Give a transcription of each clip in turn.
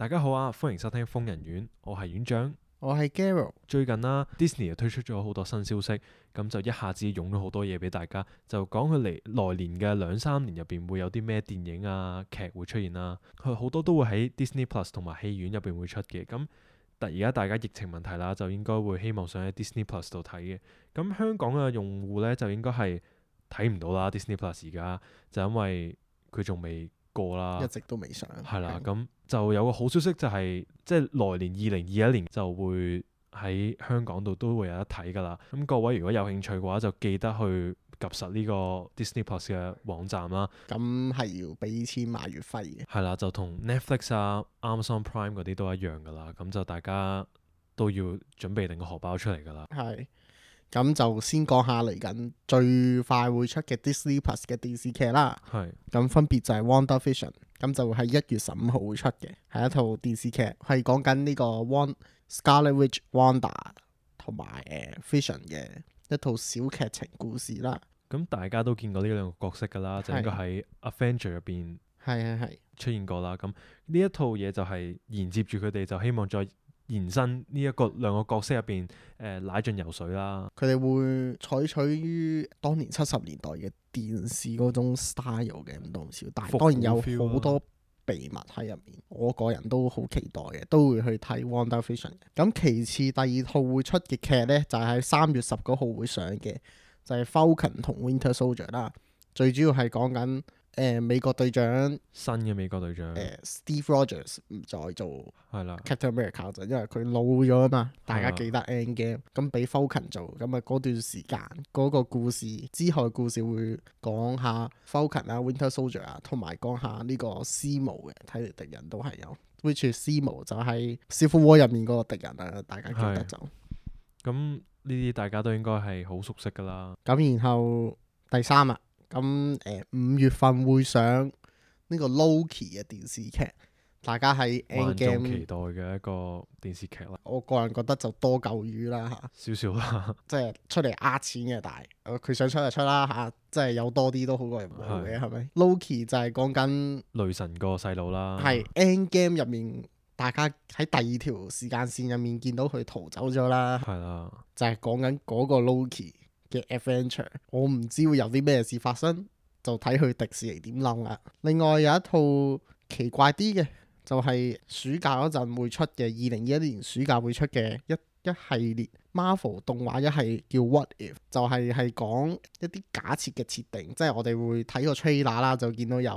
大家好啊，歡迎收聽瘋人院，我係院長。我係 Garo。最近啦，Disney 又推出咗好多新消息，咁就一下子湧咗好多嘢俾大家，就講佢來年嘅2-3年入邊會有啲咩電影啊劇會出現啦。佢好多都會喺 Disney Plus 同埋戲院入邊會出嘅。咁而家大家疫情問題啦，就應該會希望上喺 Disney Plus 度睇嘅。咁香港嘅用戶呢，就應該係睇唔到啦 Disney Plus 而家，就因為佢仲未過啦，一直都未上。係啦，咁就有個好消息就係，即係來年2021年就會喺香港度都會有得睇㗎啦。咁各位如果有興趣嘅話，就記得去及實呢個 Disney Plus 嘅網站啦。咁係要俾錢買月費嘅。係啦，就同 Netflix 啊、Amazon Prime 嗰啲都一樣㗎啦。咁就大家都要準備定個荷包出嚟㗎啦。係。咁就先講下嚟緊最快會出嘅 Disney Plus 嘅電視劇啦。係。咁分別就係 WandaVision，咁就會喺1月15號會出嘅，係一套電視劇，係講緊呢個 Scarlet Witch Wanda 同埋Vision 嘅一套小劇情故事啦。咁大家都見過呢兩個角色㗎啦，就應該喺 Avenger 入邊出現過啦。咁呢一套嘢就係連接住佢哋，就希望再延伸呢兩個角色入邊奶進游水啦。佢哋會採取於當年70年代嘅電視嗰種 style 嘅，唔多唔少，但係當然有好多秘密喺入面。我個人都好期待嘅，都會去睇 WandaVision 嘅。咁其次第二套會出嘅劇呢，就係喺3月19號會上嘅，就係 Falcon 同 Winter Soldier 啦。最主要係講緊美國隊長，新嘅美國隊長Steve Rogers 唔再做係啦 Captain America 就因為佢老咗啊嘛。大家記得 Endgame 咁俾 Falcon 做，咁啊嗰段時間嗰個故事之後嘅故事會講下 Falcon 啊、Winter Soldier 啊，同埋講下呢個 Zemo 嘅，睇嚟敵人都係有 which Zemo 就係 Civil War 入面嗰個敵人啊，大家記得就咁呢啲大家都應該係好熟悉噶啦。咁然後第三啊，咁5月份會上呢個 Loki 嘅電視劇，大家喺 Endgame 萬眾期待嘅一個電視劇啦。我個人覺得就多嚿魚啦少少啦，即係出嚟呃錢嘅，但係佢想出就出啦嚇，即係有多啲都好過冇嘅，係咪？Loki 就係講緊雷神個細佬啦，係 Endgame 入面，大家喺第二條時間線入面見到佢逃走咗啦，係啦，就係講緊嗰個 Loki 嘅 Adventure。我唔知會有啲咩事發生，就睇佢迪士尼點諗啦。另外有一套奇怪啲嘅，就係暑假嗰陣會出嘅，2021年暑假會出嘅一系列 Marvel 動畫，一係叫 What If， 就係講一啲假設嘅設定，即係我哋會睇個 trailer 啦，就見到有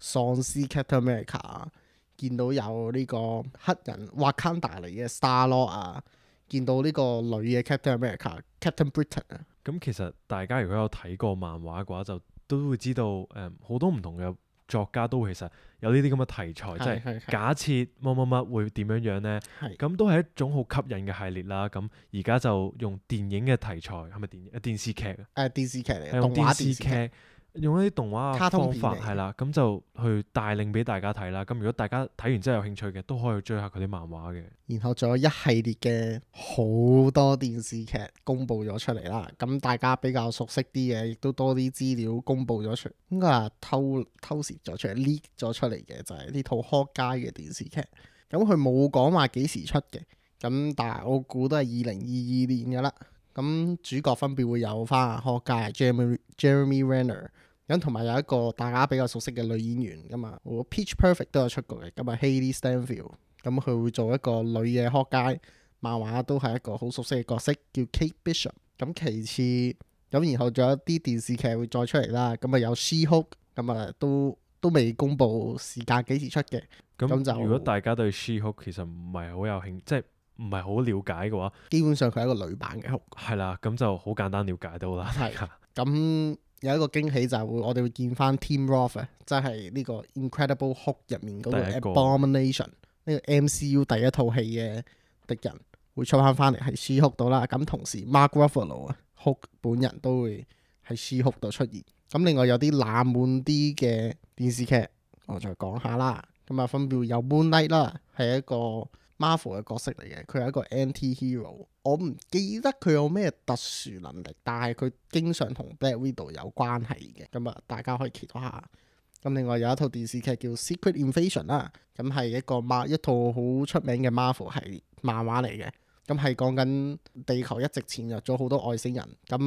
喪屍 Captain America， 見到有呢個黑人 Wakanda 嚟嘅 Star-Lord 啊，見到呢個女嘅 Captain America Captain Britain 啊。咁其實大家如果有睇過漫畫嘅話，就都會知道好多唔同嘅作家都其實有呢啲咁嘅題材，即係假設乜乜乜會點樣樣呢？咁都係一種好吸引嘅系列啦。咁而家就用電影嘅題材，係咪電視劇電視劇嚟嘅，用動畫電視劇。用一啲動畫嘅方法係啦，咁就去帶領俾大家睇啦。咁如果大家睇完之後有興趣嘅，都可以追下佢啲漫畫嘅。然後仲有一系列嘅好多電視劇公佈咗出嚟啦。咁大家比較熟悉啲嘅，亦都多啲資料公佈咗出嚟，應該係偷攝咗出嚟 leak 咗出嚟嘅，就係呢套《Hawkeye》嘅電視劇。咁佢冇講話幾時出嘅，咁但係我估都係2022年㗎啦。咁主角分別會有翻 Hawkeye Jeremy Renner。咁同埋有一個大家比較熟悉嘅女演員㗎嘛，Pitch Perfect 都有出過嘅，咁啊 Hailee Steinfeld，咁佢會做一個女嘅Hawkeye，漫畫都係一個好熟悉嘅角色，叫 Kate Bishop。咁其次，咁然後仲有啲電視劇會再出嚟啦，咁啊有 She-Hulk，咁啊都未公佈時間幾時出嘅。咁就如果大家對 She-Hulk 其實唔係好有興，即係唔係好了解嘅話，基本上佢係一個女版嘅 Hulk。係啦，咁就好簡單了解到啦。係咁。有一個驚喜就係我哋會見翻 Tim Roth，即係呢個 Incredible Hulk 入面嗰個 Abomination， 呢個 MCU 第一套戲嘅敵人會出翻嚟喺 She-Hulk 度啦。咁同時 Mark Ruffalo 啊 Hulk 本人都會喺 She-Hulk 度出現。咁另外有啲冷門啲嘅電視劇，我再講下啦。咁啊分別有 Moon Knight 啦，係一個Marvel 嘅角色嚟嘅，佢係一個 anti-hero。我唔記得佢有咩特殊能力，但係佢經常同 Black Widow 有關係嘅。咁啊，大家可以期待下。咁另外有一套電視劇叫《Secret Invasion》啦，咁係一套好出名嘅 Marvel 系列漫畫嚟嘅。咁係講緊地球一直潛入咗好多外星人。咁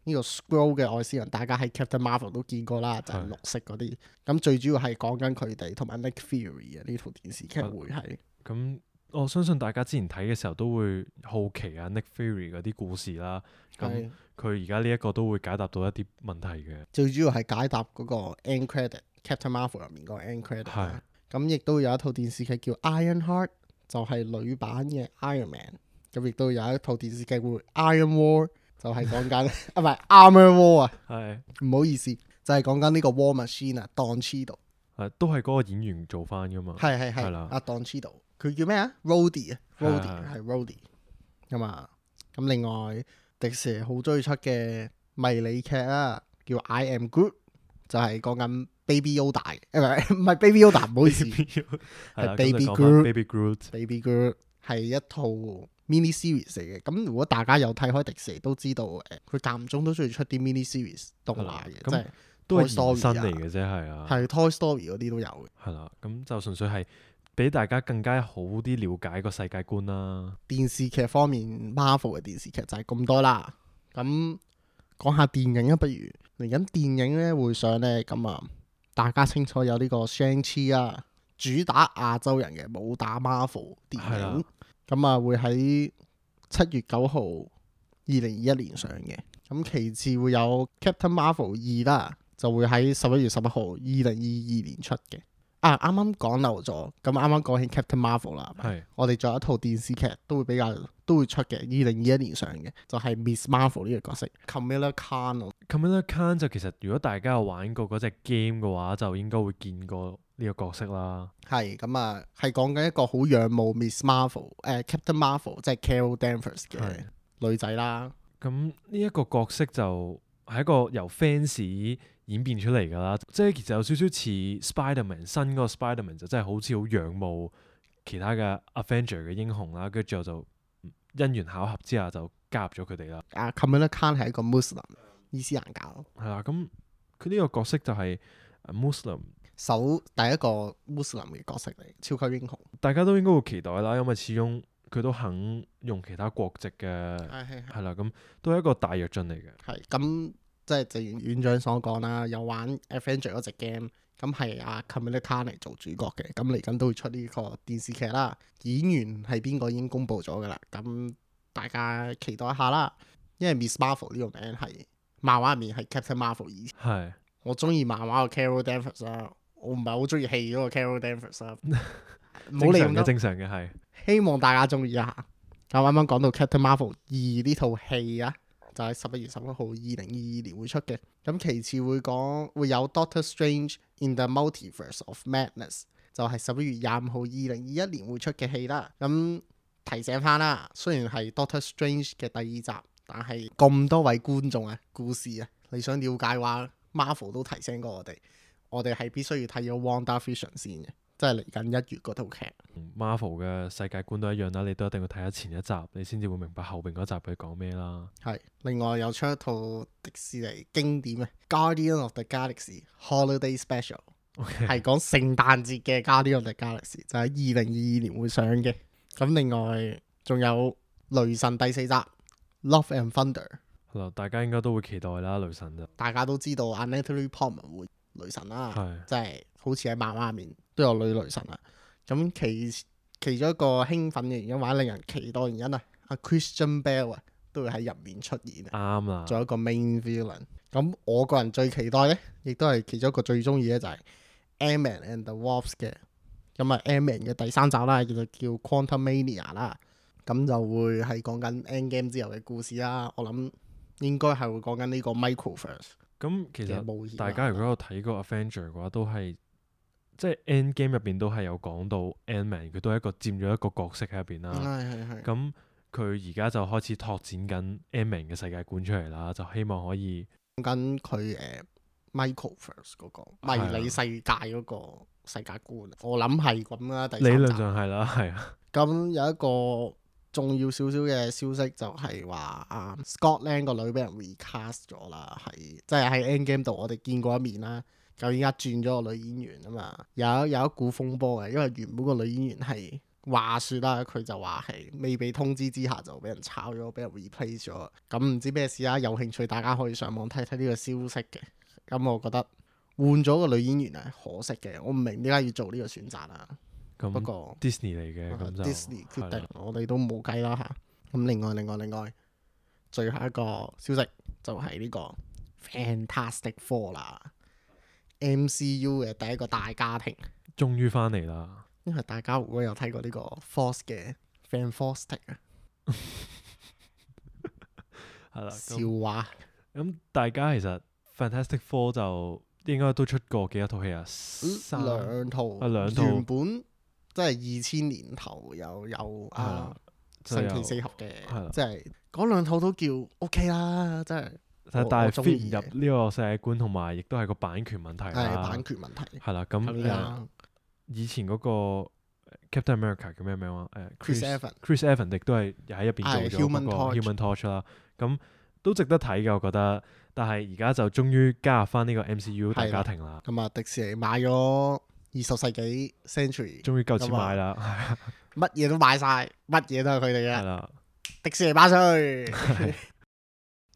呢個 Skrull 嘅外星人，大家喺 Captain Marvel 都見過啦，就係綠色嗰啲。咁最主要係講緊佢哋同埋 Nick Fury 嘅呢套電視劇會係。咁我相信大家之前睇嘅時候都會好奇Nick Fury 嗰啲故事啦。咁佢而家呢一個都會解答到一啲問題嘅。最主要係解答嗰個 end credit Captain Marvel 入面個 end credit。咁亦都有一套電視劇叫 Ironheart， 就係女版嘅 Iron Man。咁亦都有一套電視劇叫 Iron War， 就係講緊唔係 Armor War 啊。唔好意思，就係講緊呢個 War Machine 啊，Don Cheadle。都係嗰個演員做翻噶嘛。係啦。阿 Don Cheadle，佢叫咩啊 ？Rhodey 啊 ，Rhodey 係 Rhodey 咁啊。咁另外迪士尼好中意出嘅迷你劇啦，叫 I Am Groot， 就係講緊 Baby Yoda 嘅，唔係 Baby Yoda， 唔好意思，係 Baby Groot。Baby Groot 係一套 mini series 嚟嘅。咁如果大家有睇開迪士尼都知道，佢間唔中都中意出啲 mini series 動畫嘅，即係都係延伸嚟嘅啫，係啊。係 Toy Story 嗰啲都有嘅。係啦，咁就純粹係俾大家更加好啲了解個世界觀啦。電視劇方面 ，Marvel 嘅電視劇就係咁多啦。咁講下電影啊，不如嚟緊電影咧會上咧，咁大家清楚有呢個 Shang-Chi 啊，主打亞洲人嘅，冇打 Marvel 電影。咁會喺7月9號2021年上嘅。咁其次會有 Captain Marvel 2啦，就會喺11月11號2022年出嘅。啱啱講漏咗，咁啱啱講起 Captain Marvel 啦，我哋仲有一套電視劇都會出嘅，2021年上嘅，就係 Miss Marvel 呢個角色 Kamala Khan。Kamala Khan 就其實如果大家有玩過嗰隻 game 嘅話，就應該會見過呢個角色啦。係咁係講緊一個好仰慕 Miss Marvel、Captain Marvel 即係 Carol Danvers 嘅女仔啦。咁呢一個角色就係一個由 fans 演變出嚟㗎啦，即係其實有少少似 Spiderman 新嗰個 Spiderman 就真係好似好仰慕其他嘅 Avenger 嘅英雄啦，跟住之後就因緣巧合之下就加入咗佢哋啦。Kamala Khan 係一個 Muslim 伊斯蘭教。係啦，咁佢呢個角色就係 Muslim 第一個 Muslim 嘅角色嚟，超級英雄。大家都應該會期待啦，因為始終佢都肯用其他國籍嘅，係啦，咁都係一個大躍進嚟嘅。係咁。即係正如院長所講啦，有玩 Avenger 嗰隻 game，咁係Kamala Khan 嚟做主角嘅，咁嚟緊都會出呢個電視劇啦。演員係邊個已經公布咗噶啦，咁大家期待一下啦。因為 Miss Marvel 呢個名係漫畫入面係 Captain Marvel 以前。係。我中意漫畫個 Carol Danvers 啦，我唔係好中意戲嗰個 Carol Danvers 啦。正常嘅係。希望大家中意一下。咁啱啱講到 Captain Marvel 2呢套戲啊。就喺11月11號2022年會出嘅。咁其次會有 Doctor Strange in the Multiverse of Madness， 就係11月25號2021年會出嘅戲啦。咁提醒翻啦，雖然係 Doctor Strange 嘅第2集，但係咁多位觀眾故事你想了解嘅話 ，Marvel 都提醒過我哋係必須要睇咗 WandaVision 先嘅。即係嚟緊1月嗰套劇，Marvel 嘅世界觀都一樣啦，你都一定要睇下前一集，你先至會明白後邊嗰集佢講咩啦。係，另外有出一套迪士尼經典嘅《Guardian of the Galaxy Holiday Special》，係講聖誕節嘅《Guardian of the Galaxy》，就喺2022年會上嘅。咁另外仲有雷神第4集《Love and Thunder》。係啦，大家應該都會期待啦，雷神就。大家都知道Natalie Portman會雷神啦，即係好似喺漫畫入面都有女雷神啦。咁其中一個興奮嘅原因或者令人期待嘅原因Christian Bale 都會喺入面出現。啱啦，做一個 main villain。咁我個人最期待咧，亦都係其中一個最中意咧，就係 Ant-Man and the Wasp 嘅。咁Ant-Man 嘅第3集啦，叫 Quantumania 啦。咁就會係講緊 Endgame 之後嘅故事啦。我諗應該係會講緊呢個 Microverse。咁其實大家如果有睇過 Avenger 嘅話，都係即係 Endgame 入邊都係有講到 Ant-Man， 佢都係一個佔咗一個角色喺入邊啦。係。咁佢而家就開始拓展緊 Ant-Man 嘅世界觀出嚟啦，就希望可以講緊佢Microverse 嗰個迷你世界嗰個世界觀。我諗係咁啦，理論上係啦，係啊。咁有一個重要少少嘅消息就係話Scott Lang 個女俾人 recast 咗啦，係即係喺 Endgame 度我哋見過一面啦。咁依家轉咗個女演員啊嘛，有一股風波嘅，因為原本個女演員係話説啦，佢就話係未被通知之下就俾人炒咗，俾人 replace 咗。咁唔知咩事啊？有興趣大家可以上網睇睇呢個消息嘅。咁我覺得換咗個女演員係可惜嘅，我唔明點解要做呢個選擇啊。咁不過 Disney 嚟嘅，咁就 Disney 決定係啦，我哋都冇計啦嚇。咁另外，最後一個消息就係呢個 Fantastic Four 啦，MCU 嘅第一個大家庭。終於翻嚟啦。因為大家如果有睇過呢個 Force 嘅 Fantastic 啊，係啦，笑話咁大家其實 Fantastic Four 就應該都出過幾多套戲啊？兩套，兩套原本即係2000年頭有啊神奇四俠嘅，即係嗰兩套都叫 OK 啦，真係。但係中 fit 意唔入呢個世界觀，同埋亦都係個版權問題係啦。版權問題。係啦，咁以前嗰個 Captain America 叫咩名啊Chris Evans 亦都係又喺入邊做咗嗰個 Human Torch 啦。咁都值得睇嘅，我覺得。但係而家就終於加入翻呢個 MCU 大家庭啦。咁啊，迪士尼買咗20世紀 Century，終於夠錢買啦，乜嘢都買晒，乜嘢都係佢哋嘅。係啦，迪士尼巴衰。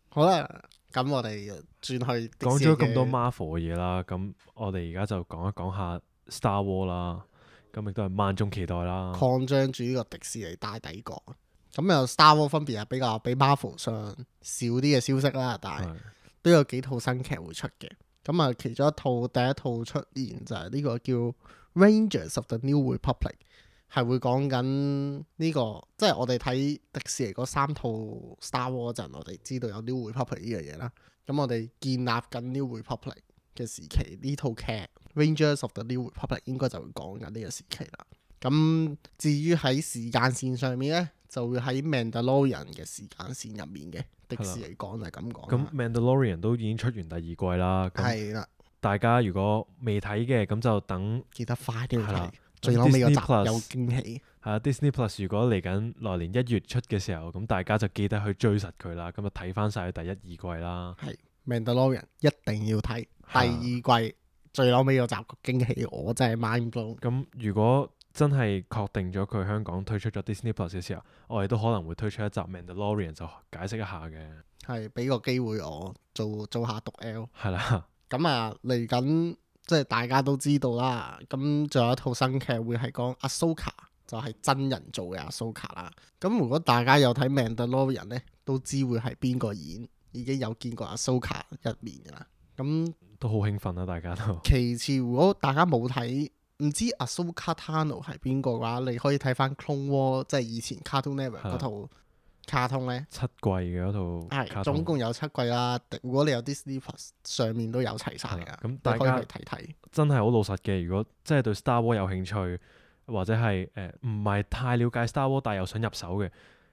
好啦，咁我哋轉去講咗咁多 Marvel 嘅嘢啦，咁我哋而家就講一講下 Star Wars 啦。咁亦都係萬眾期待啦。擴張住呢個迪士尼大帝國。咁有 Star Wars 分別係比較比 Marvel 上少啲嘅消息啦，但係都有幾套新劇會出嘅。咁啊，其中第一套出現就係呢個叫 Rangers of the New Republic， 係會講緊呢個，即係我哋睇迪士尼嗰3套 Star Wars 嗰陣，我哋知道有 New Republic 呢樣嘢啦。咁我哋建立緊 New Republic 嘅時期，呢套劇 Rangers of the New Republic 應該就會講緊呢個時期啦。咁至於喺時間線上面呢，就會喺 Mandalorian 嘅時間線入面嘅。迪士尼講就係咁講。咁 Mandalorian 都已經出完第2季啦。係啦，大家如果未睇嘅，咁就等記得快啲去睇。係啦，最後尾個集 Disney Plus 有驚喜。係啊，Disney Plus 如果嚟緊來年1月出嘅時候，咁大家就記得去追實佢啦。咁就睇翻晒第1、2季啦。係 Mandalorian 一定要睇第2季最後尾個集個驚喜，我真係 mind blown。咁如果真係確定咗佢香港推出咗 Disney Plus 嘅時候，我哋都可能會推出一集 Mandalorian 就解釋一下嘅。係俾個機會我做下讀 L。係啦。咁啊嚟緊即係大家都知道啦。咁仲有一套新劇會係講 Ahsoka，就係真人做嘅 Ahsoka 啦。咁如果大家有睇 Mandalorian 呢，都知會係邊個演，已經有見過 Ahsoka 一面㗎啦。咁都好興奮啦，大家都。其次，如果大家冇睇，唔知 Ahsoka Tano 係邊個嘅話，你可以睇翻 Clone War，即係以前 Cartoon Network 嗰套卡通呢。7季嘅嗰套卡通，總共有7季啦。如果你有 Disney Plus，上面都有齊晒㗎。咁大家可以去睇睇。真係好老實嘅，如果真係對 Star Wars 有興趣，或者係唔係太了解 Star Wars，但係又想入手嘅，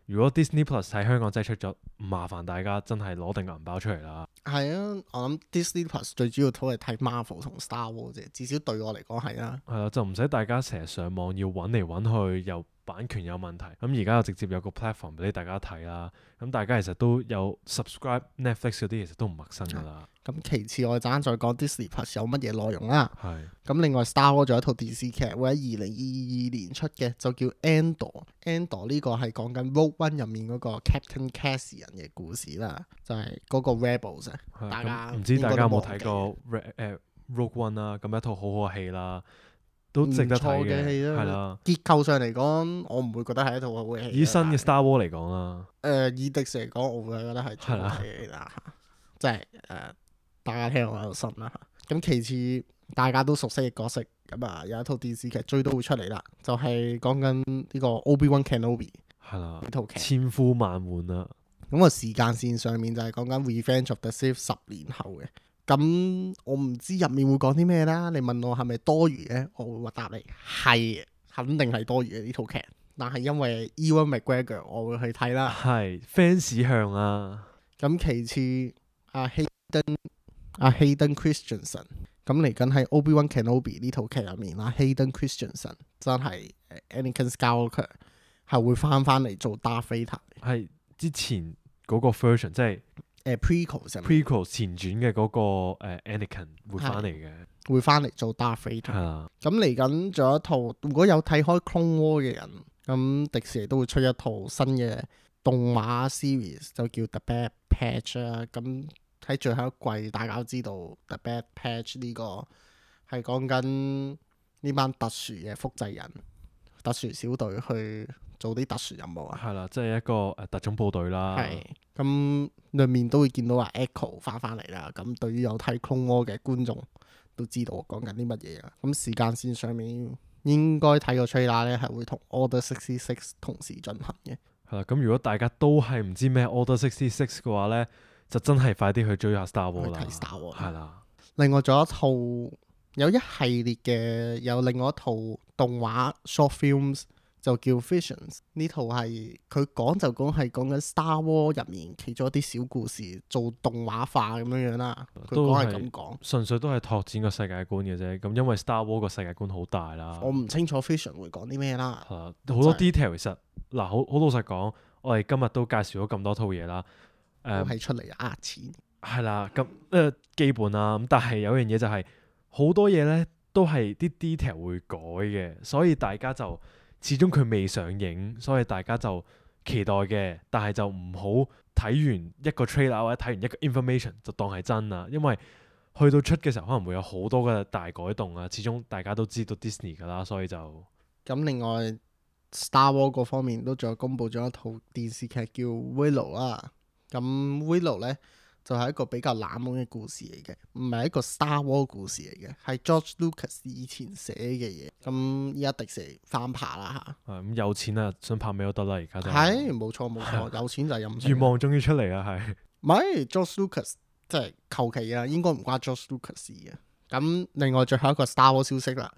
如果 Disney Plus 喺香港真係出咗，唔麻煩大家真係攞定銀包出嚟啦。係啊，我諗 Disney Plus 最主要都係睇 Marvel 同 Star Wars 啫，至少對我嚟講係啦。係啦，就唔使大家成日上網要揾嚟揾去，又版權有問題。咁而家就直接有個 platform 俾大家睇啦。咁大家其實都有 subscribe Netflix 嗰啲，其實都唔陌生噶啦。咁其次我哋陣間再講 Disney Plus 有乜嘢內容啦。係。咁另外 Star Wars 仲有一套電視劇會喺2022年出嘅，就叫 Andor。Andor 呢個係講緊 Rogue One 入面嗰個 Captain Cassian 嘅故事啦，就係嗰個 Rebels 啊。大家唔知大家有冇睇過 Rogue One 啦？咁一套好好嘅戲啦，都值得睇嘅戲啦。係啦，結構上嚟講，我唔會覺得係一套好嘅戲。以新嘅 Star Wars 嚟講啦，以迪士尼嚟講，我會覺得係最好嘅戲啦。即係大家聽我喺度信啦。咁其次，大家都熟悉嘅角色，咁啊有一套電視劇追都會出嚟啦，就係講緊呢個 Obi-Wan Kenobi。係啦，呢套劇千呼萬喚啦。咁個時間線上面就係講緊 Revenge of the Sith 10年後嘅。咁我唔知入面會講啲咩啦。你問我係咪多餘嘅，我會話答你係，肯定係多餘嘅呢套劇。但係因為 Ewan McGregor，我會去睇啦。係 fans 向啊。咁其次，阿 Hayden Christensen， 咁嚟緊喺 Obi-Wan Kenobi 呢套劇入面啦。Hayden Christensen 真係 Anakin Skywalker 係會翻嚟做 Darth Vader。係之前嗰個 version，即係prequel 前傳嘅嗰個Anakin 會翻嚟嘅。會翻嚟做 Darth Vader。係啦，咁嚟緊仲有一套，如果有睇開 Clone War 嘅人，咁迪士尼都會出一套新嘅動畫 series，就叫 The Bad Patch 啦。咁喺最後一季，大家都知道 The Bad Patch 呢個係講緊呢班特殊嘅複製人、特殊小隊去做啲特殊任務啊。係啦，即係一個特種部隊啦。係咁，裏面都會見到話 Echo 翻嚟啦。咁對於有睇 Clone War 嘅觀眾都知道我講緊啲乜嘢啊。咁時間線上面應該睇個 trailer 咧，係會同 Order 66同時進行嘅。係啦，咁如果大家都係唔知咩 Order 66嘅話咧，就真係快啲去追下 Star Wars 啦。去睇 Star Wars 係啦，另外仲有一套有一系列嘅，有另外一套動畫 short films 就叫 Visions。呢套係佢講就講係講緊 Star Wars 入面其中一啲小故事做動畫化咁樣啦。佢都講係係咁講。純粹都係拓展個世界觀嘅啫。咁因為 Star Wars 個世界觀好大啦。我唔清楚 Vision 會講啲咩啦。係啦，好多 detail 其實嗱，好老實講，我哋今日都介紹咗咁多套嘢啦。都係出嚟呃錢。係啦，咁基本啦。咁但係有樣嘢就係、好多嘢咧都係啲 detail 會改嘅，所以大家就始終佢未上映，所以大家就期待嘅。但係就唔好睇完一個 trailer 或者睇完一個 information 就當係真啦，因為去到出嘅時候可能會有好多嘅大改動啊。始終大家都知道 Disney 㗎啦，所以就咁另外 Star Wars 嗰方面都仲有公布咗一套電視劇叫 Willow 啦。咁 Willow 咧就係一個比較冷門嘅故事嚟嘅，唔係一個 Star Wars 故事嚟嘅，係 George Lucas 以前寫嘅嘢。咁依家迪士尼翻拍啦嚇。咁有錢啊，想拍咩都得啦。而家就係冇錯冇錯，有錢就係任性。願望終於出嚟啦，係唔係 George Lucas 即係求其啊，應該唔關 George Lucas 事嘅。咁另外最後一個 Star Wars 消息啦，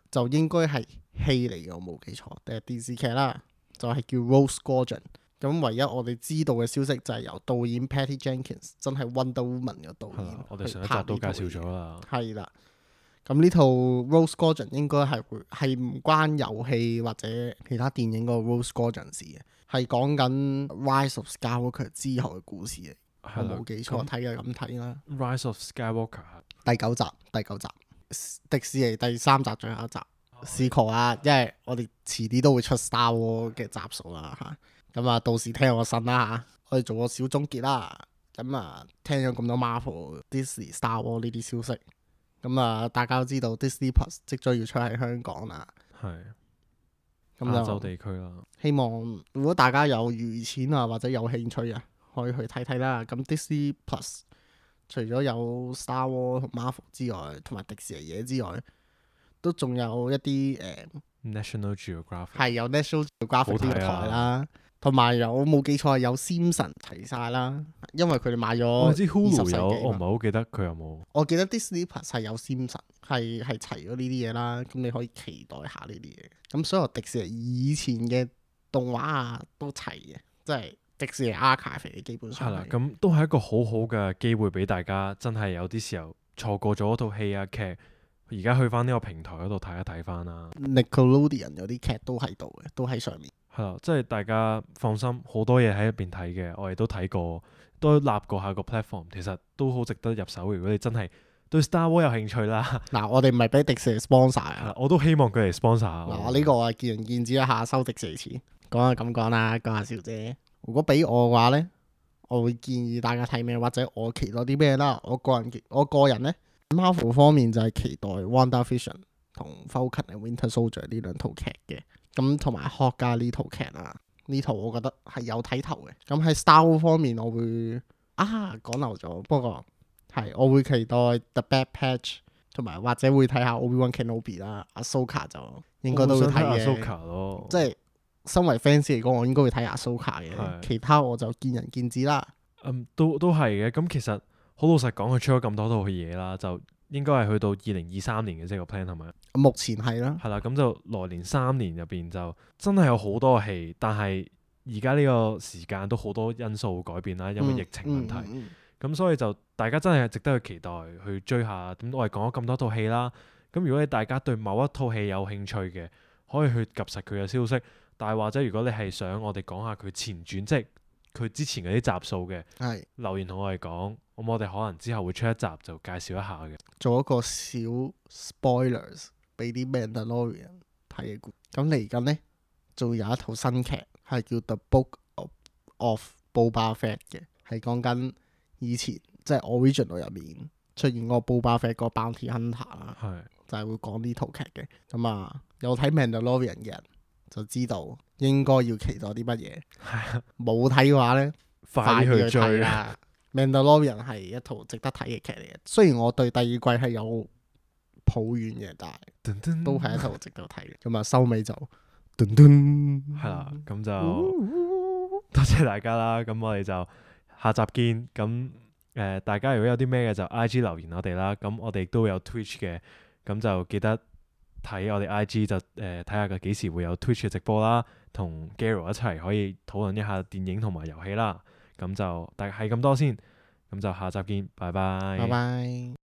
就應該係戲嚟嘅，我冇記錯，定係電視劇啦，就係叫 Rogue Squadron。咁唯一我哋知道嘅消息就係由導演 Patty Jenkins 真係 Wonder Woman 嘅導演，我哋上一集都介紹咗啦。係啦，咁呢套 Rogue Squadron 應該係唔關遊戲或者其他電影嗰個 Rogue Squadron 事嘅，係講緊 Rise of Skywalker 之後嘅故事嚟。我冇記錯，睇嘅咁睇啦。Rise of Skywalker 第九集，迪士尼第3集最後一集。試過啊，因為我哋遲啲都會出 Star Wars 嘅集數啦嚇。咁啊，到時聽我信啦嚇。我哋做個小總結啦。咁啊，聽咗咁多 Marvel、Disney、Star Wars 呢啲消息，咁啊，大家都知道 Disney Plus 即將要出喺香港啦。係咁亞洲就地區啦。希望如果大家有餘錢啊，或者有興趣啊，可以去睇睇啦。咁 Disney Plus 除咗有 Star Wars 同 Marvel 之外，同埋迪士尼嘢之外，都仲有一啲National Geographic 係有 National Geographic 呢個台好睇啦，同埋我冇記錯係有 Simpson 齊晒啦，因為佢哋買咗我知 Hulu 20世有，紀嘛我唔係好記得佢有冇。我記得 Disney Plus 係有 Simpson 係齊咗呢啲嘢啦，咁你可以期待下呢啲嘢。咁所有迪士尼以前嘅動畫啊都齊嘅，即係迪士尼 Archive 嘅基本上係啦，係。咁都係一個好好嘅機會俾大家，真係有啲時候錯過咗嗰套戲啊劇，而家去翻呢個平台嗰度睇一睇翻啦。Nickelodeon 有啲劇都喺度嘅，都喺上面。係啦，即係大家放心，好多嘢喺入邊睇嘅，我哋都睇過，都立過下個 platform，其實都好值得入手。如果你真係對 Star Wars 有興趣啦，嗱，我哋唔係俾迪士尼 sponsor 係啦啊。我都希望佢嚟 sponsor 下我。嗱，呢個啊見仁見智一下，收迪士尼錢。講下咁講啦，講下笑啫。如果俾我嘅話呢，我會建議大家睇咩，或者我期待啲咩啦。我個人呢 Marvel 方面就係期待 WandaVision 同 Falcon and Winter Soldier 呢兩套劇嘅。咁同埋 Hawkeye 呢套劇啊，呢套我覺得係有睇頭嘅。咁喺 Star Wars 方面，我會講漏咗，不過係我會期待 The Bad Patch，同埋或者會睇下 Obi-Wan Kenobi 啦，Ahsoka 就應該都會睇嘅。Ahsoka 咯，即係身為 fans 嚟講，我應該會睇 Ahsoka 嘅。係其他我就見仁見智啦。都係嘅。咁其實好老實講，佢出咗咁多套嘢啦，就應該係去到2023年嘅，即係個 plan 係咪？目前係啦，係啦，咁就來年3年入邊就真係有好多戲，但係而家呢個時間都好多因素改變啦，因為疫情問題。咁所以就大家真係值得去期待去追下。咁我哋講咗咁多套戲啦，咁如果你大家對某一套戲有興趣嘅，可以去及實佢嘅消息。但係或者如果你係想我哋講下佢前傳，即係佢之前嗰啲集數嘅，係留言同我哋講，咁我哋可能之後會出一集就介紹一下嘅。做一個小 spoilers 俾啲 Mandalorian 睇嘅故。咁嚟緊呢，仲有一套新劇係叫 The Book of Boba Fett 嘅，係講緊以前即係 original 入面出現嗰個 Boba Fett 嗰個 Bounty Hunter 啦，係就係會講呢套劇嘅。咁啊，有睇 Mandalorian 嘅人就知道應該要期待啲乜嘢。係啊，冇睇嘅話呢，快啲去睇追啦。Mandalorian 係一套值得睇嘅劇嚟嘅，雖然我對第二季係有抱怨嘅，但係噔噔都係一套值得睇嘅。咁啊，收尾就噔噔，係啦，咁就多謝大家啦。咁我哋就下集見。咁大家如果有啲咩嘅就 IG 留言我哋啦。咁我哋亦都有 Twitch 嘅，咁就記得睇我哋 IG 就睇下佢幾時會有 Twitch 嘅直播啦，同 Garo 一齊可以討論一下電影同埋遊戲啦。咁就大係咁多先，咁就下集見，拜拜。拜拜。